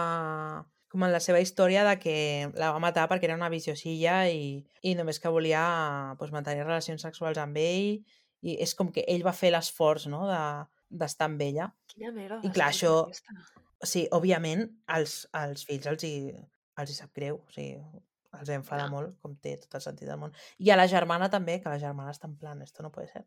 com en la seva història de que la va matar perquè era una viciosilla i només que volia pues, mantenir relacions sexuals amb ell, i és com que ell va fer l'esforç, no?, d'estar amb ella. Quina merda I clar, d'esposa això, aquesta. sí, òbviament, als fills els hi sap greu, o sigui, els enfada Ja. molt, com té tot el sentit del món. I a la germana també, que la germana està en plan, esto no puede ser.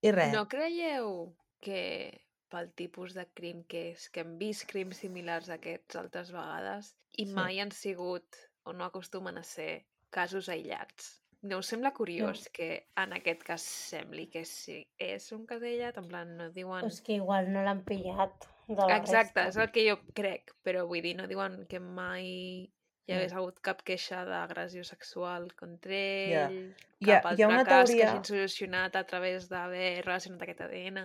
I res, No creieu que pel tipus de crim que és, que hem vist crims similars a aquests altres vegades i Sí. mai han sigut o no acostumen a ser casos aïllats? No us sembla curiós que en aquest cas sembli que sí és un cas aïllat? En plan, no diuen... És que igual no l'han pillat de la Exacte, resta. és el que jo crec, però vull dir, no diuen que mai hi hagués hagut cap queixa d'agressió sexual contra Ja. ell, Hi ha- cap hi ha altre una cas que teoria- hagin solucionat a través d'haver relacionat aquest ADN.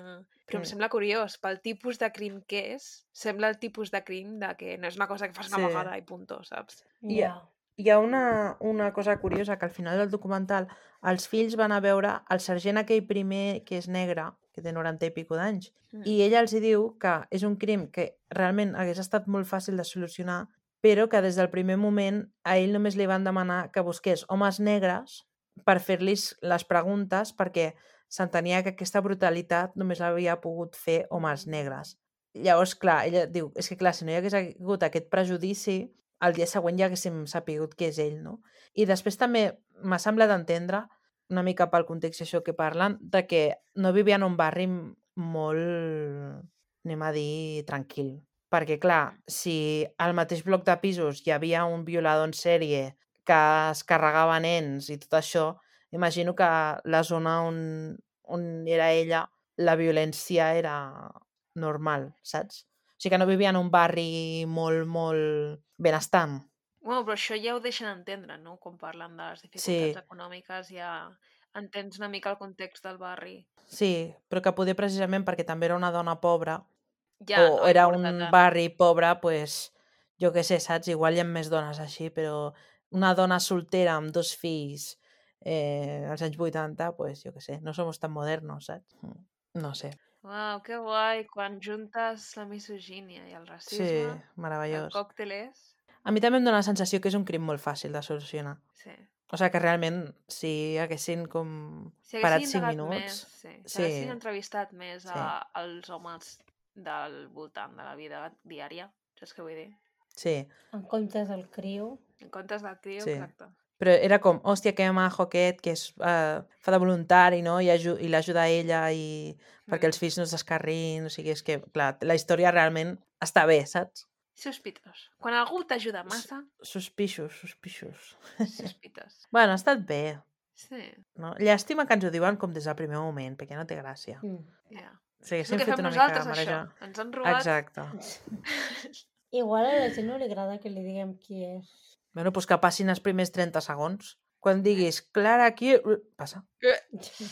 Però em Mm. sembla curiós, pel tipus de crim que és, sembla el tipus de crim de que no és una cosa que fas una Sí. vegada i punto, saps? Ja. Hi ha una cosa curiosa, que al final del documental els fills van a veure el sergent aquell primer que és negre, que té 90 i pico d'anys, Mm. i ella els hi diu que és un crim que realment hagués estat molt fàcil de solucionar, però que des del primer moment a ell només li van demanar que busqués homes negres per fer-los les preguntes, perquè s'entenia que aquesta brutalitat només l'havia pogut fer homes negres. Llavors, clar, ella diu, és que clar, si no hi hagués hagut aquest prejudici, el dia següent ja haguéssim sapigut que és ell, no? I després també m'ha semblat entendre, una mica pel context això que parlen, de que no vivia en un barri molt, anem a dir, tranquil. Perquè, clar, si al mateix bloc de pisos hi havia un violador en sèrie que es carregava nens i tot això, imagino que la zona on era ella, la violència era normal, saps? O sigui que no vivia en un barri molt, molt benestant. Bueno, però això ja ho deixen entendre, no? Quan parlen de les dificultats econòmiques ja entens una mica el context del barri. Sí, però que poder precisament perquè també era una dona pobra Ja, o no era importa un tant. barri pobre, pues, jo què sé, saps? Igual hi ha més dones així, però una dona soltera amb 2 fills als anys 80, pues, jo què sé, no som tan modernos, saps? No sé. Uau, que guai, quan juntes la misogínia i el Sí, racisme, el meravellós. còctel és... A mi també em dóna la sensació que és un crim molt fàcil de solucionar. Sí. O sigui que realment, si haguessin com Si parat haguessin 5 indagat minuts... més, sí. Si Sí. haguessin entrevistat més Sí. als homes del voltant de la vida diària, saps què vull dir? Sí, En comptes del criu. En comptes del trio, Sí. exacte. però era com, hòstia, que majo aquest, que és, fa de voluntari, no? I l'ajuda a ella i perquè els fills no es descarrin, o sigui, és que, clar, la història realment està bé, saps? Sospitós. Quan algú t'ajuda massa, Suspixos. sospites. Bueno, ha estat bé, Sí, no? Llàstima que ens ho diuen com des del primer moment, perquè no té gràcia. ja. Sí, És el haguéssim que fet fem una mica nosaltres, això. marejar. Ens han robat... Exacte. Igual a la gent no li agrada que li diguem qui és. Bueno, doncs que passin els primers 30 segons. Quan diguis, Clara, aquí... Passa.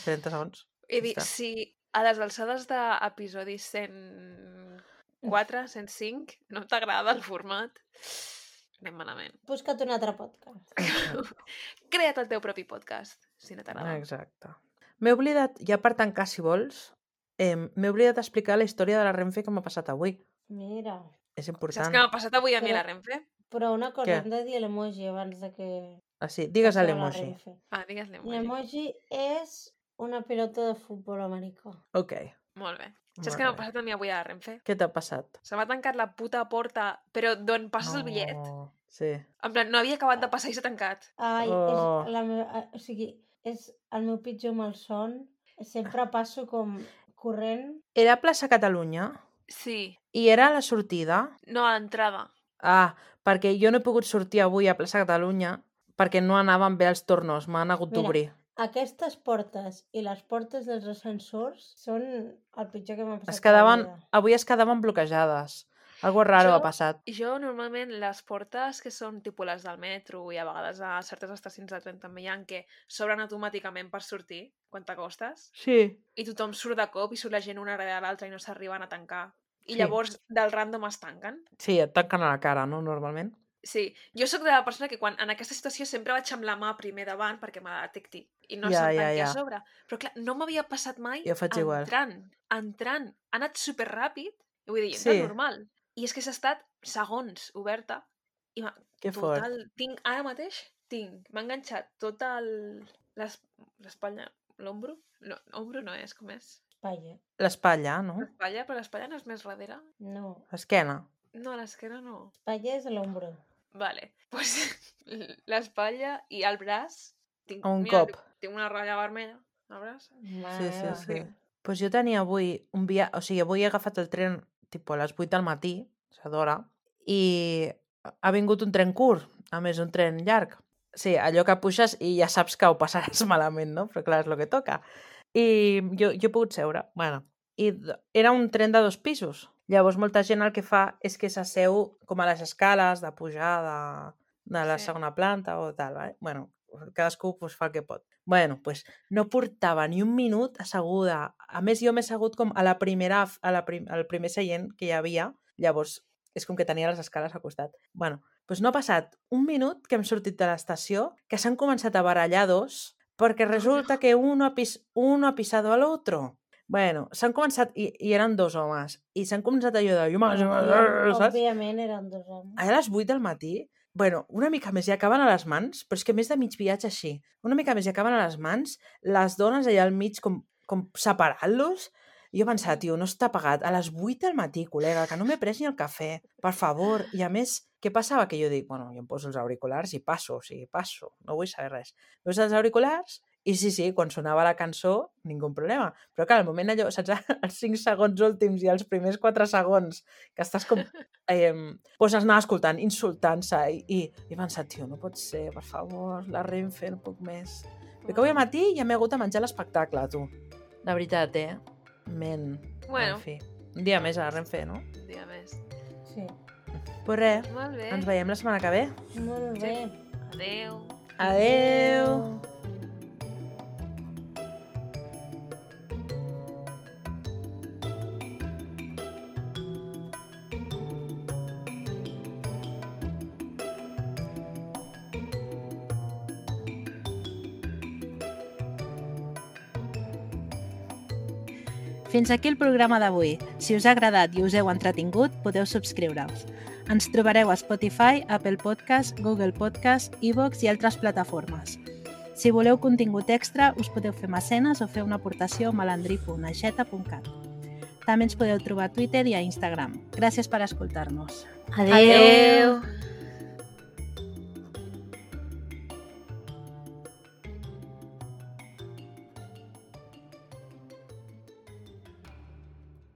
30 segons. He dit, està. si a les alçades d'episodi 104, 105, no t'agrada el format, anem malament. Busca't un altre podcast. Crea't el teu propi podcast, si no t'agrada. Exacte. M'he oblidat, ja per tancar, si vols, m'he oblidat d'explicar la història de la Renfe que m'ha passat avui. Mira. És Saps important. què m'ha passat avui a mi a la Però- Renfe? Però una cosa, Què? hem de dir l'emoji abans de que... Ah, sí, digues a passem la l'emoji. Renfe. Ah, digues l'emoji. L'emoji és una pilota de futbol americà. Ok. Molt bé. Molt Saps què m'ha bé. passat a mi avui a la Renfe? Què t'ha passat? Se m'ha tancat la puta porta, però d'on passes el bitllet. Sí. En plan, no havia acabat de passar i s'ha tancat. Ai, Oh. és la meva... O sigui, és el meu pitjor malson. Sempre passo com corrent. Era a plaça Catalunya Sí. i era a la sortida. No, a l'entrada. Ah, perquè jo no he pogut sortir avui a plaça Catalunya perquè no anaven bé els tornos, m'han hagut Mira. d'obrir. Aquestes portes i les portes dels ascensors són el pitjor que m'ha passat Es quedaven, a la vida. avui es quedaven bloquejades. Algo raro ha passat. Jo normalment les portes que són tipus les del metro i a vegades a certes estacions de tren també hi ha que s'obren automàticament per sortir quan t'acostes Sí. i tothom surt de cop i surt la gent una darrere l'altra i no s'arriben a tancar. I Sí. llavors del random es tanquen. Sí, et tanquen a la cara, no? Normalment. Sí, jo sóc de la persona que quan en aquesta situació sempre vaig amb la mà primer davant perquè me detecti i no Ja, se'm ja, tanqui ja. a sobre. Però clar, no m'havia passat mai Jo faig igual. entrant. Ha anat superràpid, i vull dir, Sí. entra normal. I és que s'ha estat segons oberta i Que fort. ara mateix m'ha enganxat tot l'espatlla, l'ombro? No, ombro no és, com és? Espatlla. L'espatlla, no? L'espatlla, però l'espatlla no és més darrere? No, L'esquena. No, l'esquena no. espatlla és l'ombro. Vale, pues l'espatlla i el braç... Un cop. Tinc una ratlla vermella al braç. Sí. Pues jo tenia avui un viatge... O sigui, avui he agafat el tren tipus a les 8 del matí, o sigui, d'hora, i ha vingut un tren curt, a més un tren llarg. Sí, allò que puixes i ja saps que ho passaràs malament, no? Però clar, és el que toca. I jo he pogut seure. Bueno, i era un tren de 2 pisos. Llavors, molta gent el que fa és que s'asseu com a les escales de pujar de la segona planta o tal, ¿vale? Bueno, cadascú pues, fa el que pot. Bueno, pues no portava ni un minut asseguda. A més, jo m'he assegut com a la primera, al primer seient que hi havia. Llavors, és com que tenia les escales al costat. Bueno, pues no ha passat un minut que hem sortit de l'estació, que s'han començat a barallar dos, perquè resulta que uno ha pisado al otro. Bueno, s'han començat, i eren 2 homes, i s'han començat allò de... saps? Òbviament eren 2 homes. A les 8 del matí, bueno, una mica més i acaben a les mans, però és que més de mig viatge així, una mica més i acaben a les mans, les dones allà al mig com separant-los, i jo pensava, tio, no està pagat, a les 8 del matí, col·lega, que no m'he pres ni el cafè, per favor, i a més, què passava? Que jo dic, bueno, jo em poso els auriculars i passo, no vull saber res. Poso els auriculars i sí, quan sonava la cançó, ningú problema. Però clar, al moment allò, saps, els 5 segons últims i els primers 4 segons que estàs com... doncs els anava escoltant, insultant-se i he pensat, tio, no pot ser, per favor, la Renfe, no puc més. Perquè avui al matí ja m'he hagut de menjar l'espectacle, tu. La veritat, Men. Bueno. En fi, un dia més a la Renfe, no? Un dia més. Sí. Pues res, Molt bé. ens veiem la setmana que ve. Molt bé. Adéu. Adéu. Fins aquí el programa d'avui. Si us ha agradat i us heu entretingut, podeu subscriure-us. Ens trobareu a Spotify, Apple Podcast, Google Podcast, iVoox i altres plataformes. Si voleu contingut extra, us podeu fer mecenes o fer una aportació a malandri.aixeta.cat. També ens podeu trobar a Twitter i a Instagram. Gràcies per escoltar-nos. Adéu. Adéu.